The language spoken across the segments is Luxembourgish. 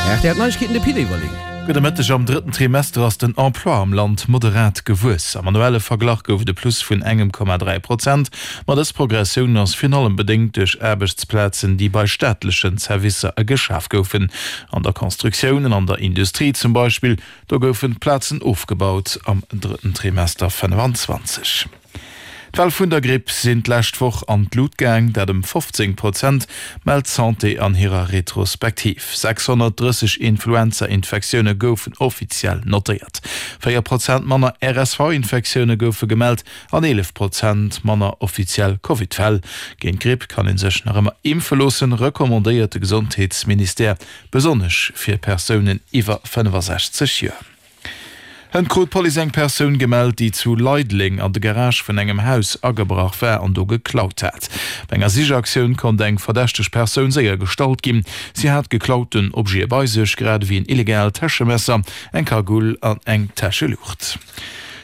Rtl Neiegkeeten, de Pit Everling. Gudde Mëtteg, Am drëtten Trimester ass den Emploi am Land moderat gewuess. Am annuelle Verglach gouf et e Plus vun engem Komma 3 Prozent. Ma dës Progressioun ass virun allem bedéngt duerch Aarbechtsplazen, déi bei staatlechen Servicer geschaf goufen. An der Constructioun an an der Industrie zum Beispill, do goufen Plazen ofgebaut am drëtten Trimester 25. D'Fäll vun der Gripp sinn d'lescht Woch an d'Lut gaang, dat ëm 15 Prozent, mellt d'Santé an hirer Retrospektiv. 630 Influenza-Infektioune goufen offiziell notéiert. 4 Prozent manner RSV-Infektioune goufe gemellt an 11 Prozent manner offiziell Covid-Fäll. Géint d'Gripp kann ee sech nach ëmmer impfe loossen, recommandéiert de Gesondheetsministère, besonnesch fir Persounen iwwer 65 Joer. Hënt krut d'Police eng Persoun gemellt, déi zu Leideleng an de Garage vun engem Haus agebrach war an do geklaut hat. Bei enger Sichaktioun konnt eng verdächteg Persoun séier gestallt ginn. Si hat geklauten Objete bei sech, grad ewéi en illegaalt Täschemesser, eng Kagull an eng Täscheluucht.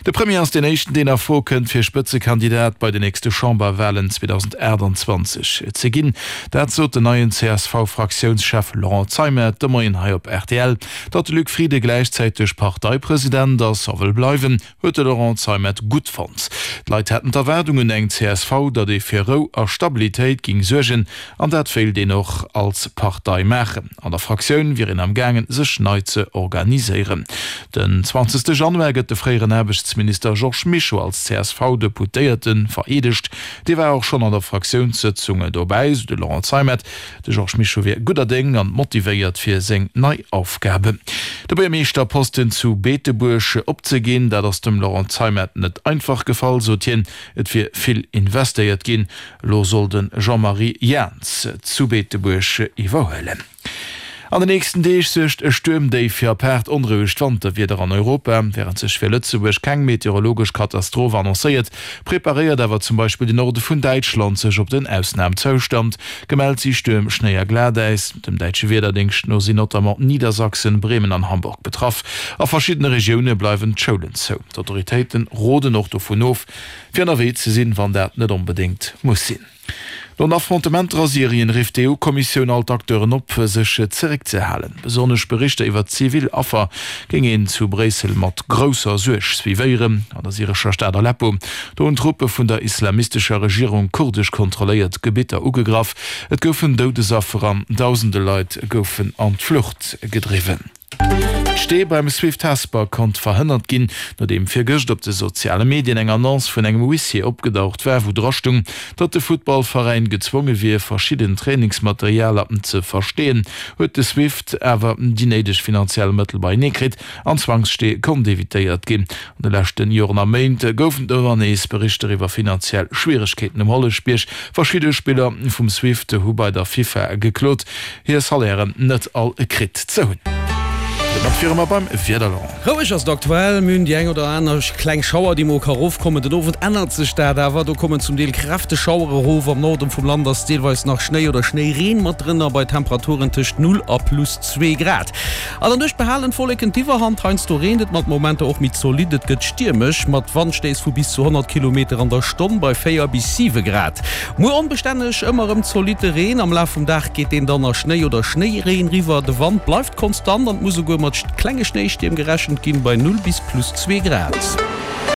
De Premier ass deen éischten, deen a Fro kënnt, fir Spëtzekandidat bei den nächste Chamberwalen 2028 ze ginn. Dat sot den neien CSV-Fraktiounschef Laurent Zeimet de Moien hei op rtl. Datt de Luc Frieden gläichzäiteg Parteipresident ass a wëll bleiwen, huet de Laurent Zeimet gutt fonnt. D'Leit hätten d'Erwaardung un eng csv, datt ee fir Rou a Stabilitéit géing suergen an dat wéilt een och als Partei maachen. An der Fraktioun wier een am gaangen, sech nei ze organiséieren. Den 20 Januar gëtt de fréieren Aarbechtsminister Georges Mischo als CSV-Deputéierte vereedegt. Dee war och schonn an der Fraktiounssëtzung dobäi, sou de Laurent Zeimet. De Georges Mischo wier gudder Déng an motivéiert fir seng nei Aufgabe. De Buergermeeschterposten zu Beetebuerg opzeginn, dat ass dem Laurent Zeimet net einfach gefall, sot hien. Et wier vill investéiert ginn. Elo soll de Jean-Marie Jahns zu Beetebuerg iwwerhuelen. An den nächsten Deeg suergt e Stuermdéif fir apaart onrouegt Wanterwieder an Europa. Wärend sech fir Lëtzebuerg keng meteorologesch Katastroph annoncéiert, preparéiert awer zum Beispill de Norde vun Däitschland sech op den Ausnamzoustand. Gemellt si Stuerm, Schnéi a Glatäis. Dem däitsche Wiederdéngscht no sinn notamment Niedersachsen, Bremen an Hamburg betraff. A verschiddene Regioune bleiwen d'Schoulen zou. D'Autoritéite roden och dovun of, fir ënnerwee ze sinn, wann dat net onbedéngt muss sinn. No den Affrontementer a Syrien rifft d'EU-Kommissioun all d'Acteuren op, sech zeréckzehalen. Besonnesch Berichter iwwer zivil Affer géing een zu Bréissel mat grousser Suerg suivéieren. An der syrescher Stad Aleppo, do hunn Truppe vun der islamistescher Regierung kurdesch kontrolléiert Gebitter ugegraff. Et goufen Doudesaffer an dausende Leit goufen an d'Flucht gedriwwen. D'Stee beim Swift Hesper konnt verhënnert ginn, nodeem virgëscht op de soziale Medien eng Annonce vun engem Huissier opgedaucht war, wou dra stung, datt de Futtballveräin gezwonge wier, verschidden Trainingsmaterialer ze versteeën. Huet de Swift awer déi néideg finanziell Mëttel beienee kritt an d'Zwangsstee konnt evitéiert ginn. An de leschten Joren a Méint goufen et ëmmer nees Berichter iwwer finanziell Schwieregkeeten um Holleschbierg. Verschidde Spiller vum Swift hu bei der FIFA geklot, hir Salairen net all kritt ze hunn. Domat wiere mer beim Wieder, Laurent. Roueg ass et aktuell, mir hunn déi eng oder aner kleng Schauer, déi mol ka rofkommen. Den Owend ännert sech dat awer, do kommen zum Deel kräfteg Schauere erof. Am Norden vum Land ass deelweis nach Schnéi oder Schnéireen mat drënner, bei Temperaturen tëscht 0 a plus 2 Grad. An der Nuecht behalen d'Wolleken d'Iwwerhand, heiansdo reent et mat Momenter och méi zolidd. Et gëtt stiermesch mat Wandstéiss vu bis zu 100 Kilometer an der Stonn bei 4 bis 7 Grad. Muer onbestänneg, ëmmer erëm zolitte Reen, am Laf vum Dag geet deen dann a Schnéi oder Schnéireen riwwer. De Wand bleift konstant an et muss esouguer mat klenge Schnéistierm gerechent ginn bei 0 bis plus 2 Grad.